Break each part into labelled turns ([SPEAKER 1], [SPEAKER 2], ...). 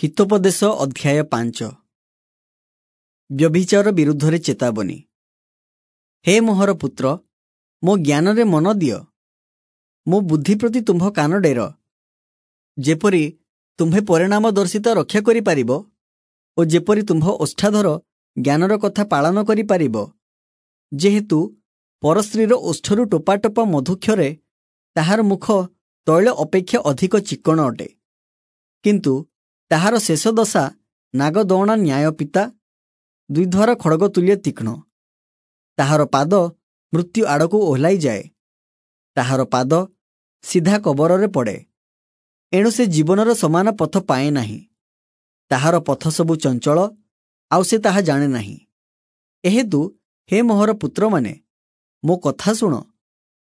[SPEAKER 1] ହିତୋପଦେଶ ଅଧ୍ୟାୟ 5। ବ୍ୟଭିଚାର ବିରୁଦ୍ଧରେ ଚେତାବନୀ। ହେ ମୋହର ପୁତ୍ର, ମୋ ଜ୍ଞାନରେ ମନ ଦିଅ, ମୋ ବୁଦ୍ଧି ପ୍ରତି ତୁମ୍ଭ କାନ ଡେର, ଯେପରି ତୁମ୍ଭେ ପରିଣାମଦର୍ଶିତା ରକ୍ଷା କରିପାରିବ ଓ ଯେପରି ତୁମ୍ଭ ଓଷ୍ଠାଧର ଜ୍ଞାନର କଥା ପାଳନ କରିପାରିବ। ଯେହେତୁ ପରସ୍ତ୍ରୀର ଓଷ୍ଠରୁ ଟୋପା ଟୋପା ମଧୁକ୍ଷରେ ତାହାର ମୁଖ ତୈଳ ଅପେକ୍ଷା ଅଧିକ ଚିକ୍କଣ ଅଟେ, କିନ୍ତୁ ତାହାର ଶେଷ ଦଶା ନାଗଦଅଣା ନ୍ୟାୟ ପିତା, ଦ୍ୱିଧାର ଖଡ଼ଗ ତୁଲ୍ୟ ତୀକ୍ଷ୍ଣ। ତାହାର ପାଦ ମୃତ୍ୟୁ ଆଡ଼କୁ ଓହ୍ଲାଇଯାଏ, ତାହାର ପାଦ ସିଧା କବରରେ ପଡ଼େ। ଏଣୁ ସେ ଜୀବନର ସମାନ ପଥ ପାଏ ନାହିଁ। ତାହାର ପଥ ସବୁ ଚଞ୍ଚଳ, ଆଉ ସେ ତାହା ଜାଣେ ନାହିଁ। ଏହେତୁ ହେ ମୋହର ପୁତ୍ରମାନେ, ମୋ କଥା ଶୁଣ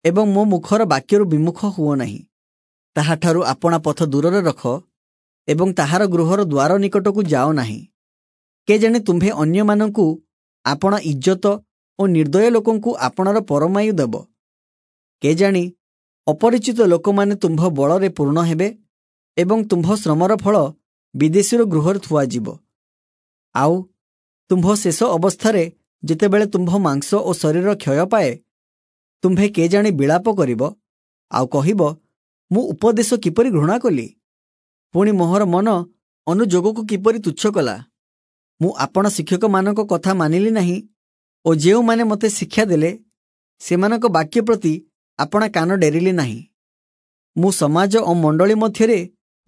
[SPEAKER 1] ଏବଂ ମୋ ମୁଖର ବାକ୍ୟରୁ ବିମୁଖ ହୁଅ ନାହିଁ। ତାହାଠାରୁ ଆପଣା ପଥ ଦୂରରେ ରଖ ଏବଂ ତାହାର ଗୃହର ଦ୍ୱାର ନିକଟକୁ ଯାଅ ନାହିଁ। କେଜାଣି ତୁମ୍ଭେ ଅନ୍ୟମାନଙ୍କୁ ଆପଣା ଇଜ୍ଜତ ଓ ନିର୍ଦ୍ଦୟ ଲୋକଙ୍କୁ ଆପଣାର ପରମାୟୁ ଦେବ। କେଜାଣି ଅପରିଚିତ ଲୋକମାନେ ତୁମ୍ଭ ବଳରେ ପୂର୍ଣ୍ଣ ହେବେ ଏବଂ ତୁମ୍ଭ ଶ୍ରମର ଫଳ ବିଦେଶୀର ଗୃହରେ ଥୁଆଯିବ। ଆଉ ତୁମ୍ଭ ଶେଷ ଅବସ୍ଥାରେ ଯେତେବେଳେ ତୁମ୍ଭ ମାଂସ ଓ ଶରୀର କ୍ଷୟ ପାଏ, ତୁମ୍ଭେ କେଜାଣି ବିଳାପ କରିବ ଆଉ କହିବ, ମୁଁ ଉପଦେଶ କିପରି ଘୃଣା କଲି, ପୁଣି ମୋହର ମନ ଅନୁଯୋଗକୁ କିପରି ତୁଚ୍ଛ କଲା। ମୁଁ ଆପଣା ଶିକ୍ଷକମାନଙ୍କ କଥା ମାନିଲି ନାହିଁ ଓ ଯେଉଁମାନେ ମୋତେ ଶିକ୍ଷା ଦେଲେ ସେମାନଙ୍କ ବାକ୍ୟ ପ୍ରତି ଆପଣା କାନ ଡେରିଲି ନାହିଁ। ମୁଁ ସମାଜ ଓ ମଣ୍ଡଳୀ ମଧ୍ୟରେ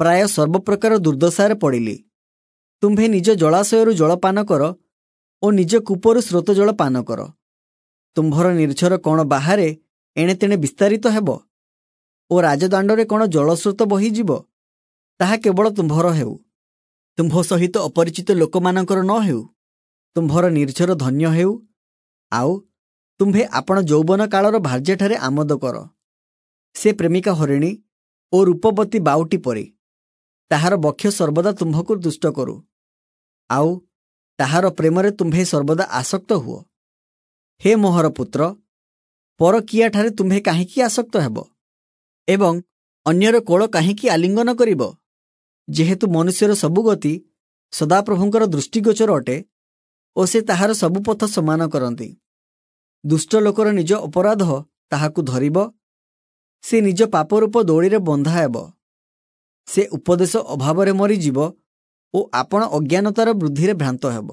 [SPEAKER 1] ପ୍ରାୟ ସର୍ବପ୍ରକାର ଦୁର୍ଦ୍ଦଶାରେ ପଡ଼ିଲି। ତୁମ୍ଭେ ନିଜ ଜଳାଶୟରୁ ଜଳପାନ କର ଓ ନିଜ କୂପରୁ ସ୍ରୋତ ଜଳ ପାନ କର। ତୁମ୍ଭର ନିର୍ଝର କ'ଣ ବାହାରେ ଏଣେ ତେଣେ ବିସ୍ତାରିତ ହେବ ଓ ରାଜଦାଣ୍ଡରେ କ'ଣ ଜଳସ୍ରୋତ ବହିଯିବ? ତାହା କେବଳ ତୁମ୍ଭର ହେଉ, ତୁମ୍ଭ ସହିତ ଅପରିଚିତ ଲୋକମାନଙ୍କର ନ ହେଉ। ତୁମ୍ଭର ନିର୍ଝର ଧନ୍ୟ ହେଉ, ଆଉ ତୁମ୍ଭେ ଆପଣା ଯୌବନ କାଳର ଭାର୍ଯ୍ୟାଠାରେ ଆମୋଦ କର। ସେ ପ୍ରେମିକା ହରିଣୀ ଓ ରୂପବତୀ ବାଉଟି ପରି, ତାହାର ବକ୍ଷ ସର୍ବଦା ତୁମ୍ଭକୁ ଦୁଷ୍ଟ କରୁ, ଆଉ ତାହାର ପ୍ରେମରେ ତୁମ୍ଭେ ସର୍ବଦା ଆସକ୍ତ ହୁଅ। ହେ ମୋହର ପୁତ୍ର, ପରକୀୟାଠାରେ ତୁମ୍ଭେ କାହିଁକି ଆସକ୍ତ ହେବ ଏବଂ ଅନ୍ୟର କୋଳ କାହିଁକି ଆଲିଙ୍ଗନ କରିବ? ଯେହେତୁ ମନୁଷ୍ୟର ସବୁ ଗତି ସଦାପ୍ରଭୁଙ୍କର ଦୃଷ୍ଟିଗୋଚର ଅଟେ ଓ ସେ ତାହାର ସବୁ ପଥ ସମାନ କରନ୍ତି। ଦୁଷ୍ଟ ଲୋକର ନିଜ ଅପରାଧ ତାହାକୁ ଧରିବ, ସେ ନିଜ ପାପରୂପ ଦଉଡ଼ିରେ ବନ୍ଧା ହେବ। ସେ ଉପଦେଶ ଅଭାବରେ ମରିଯିବ ଓ ଆପଣା ଅଜ୍ଞାନତାର ବୃଦ୍ଧିରେ ଭ୍ରାନ୍ତ ହେବ।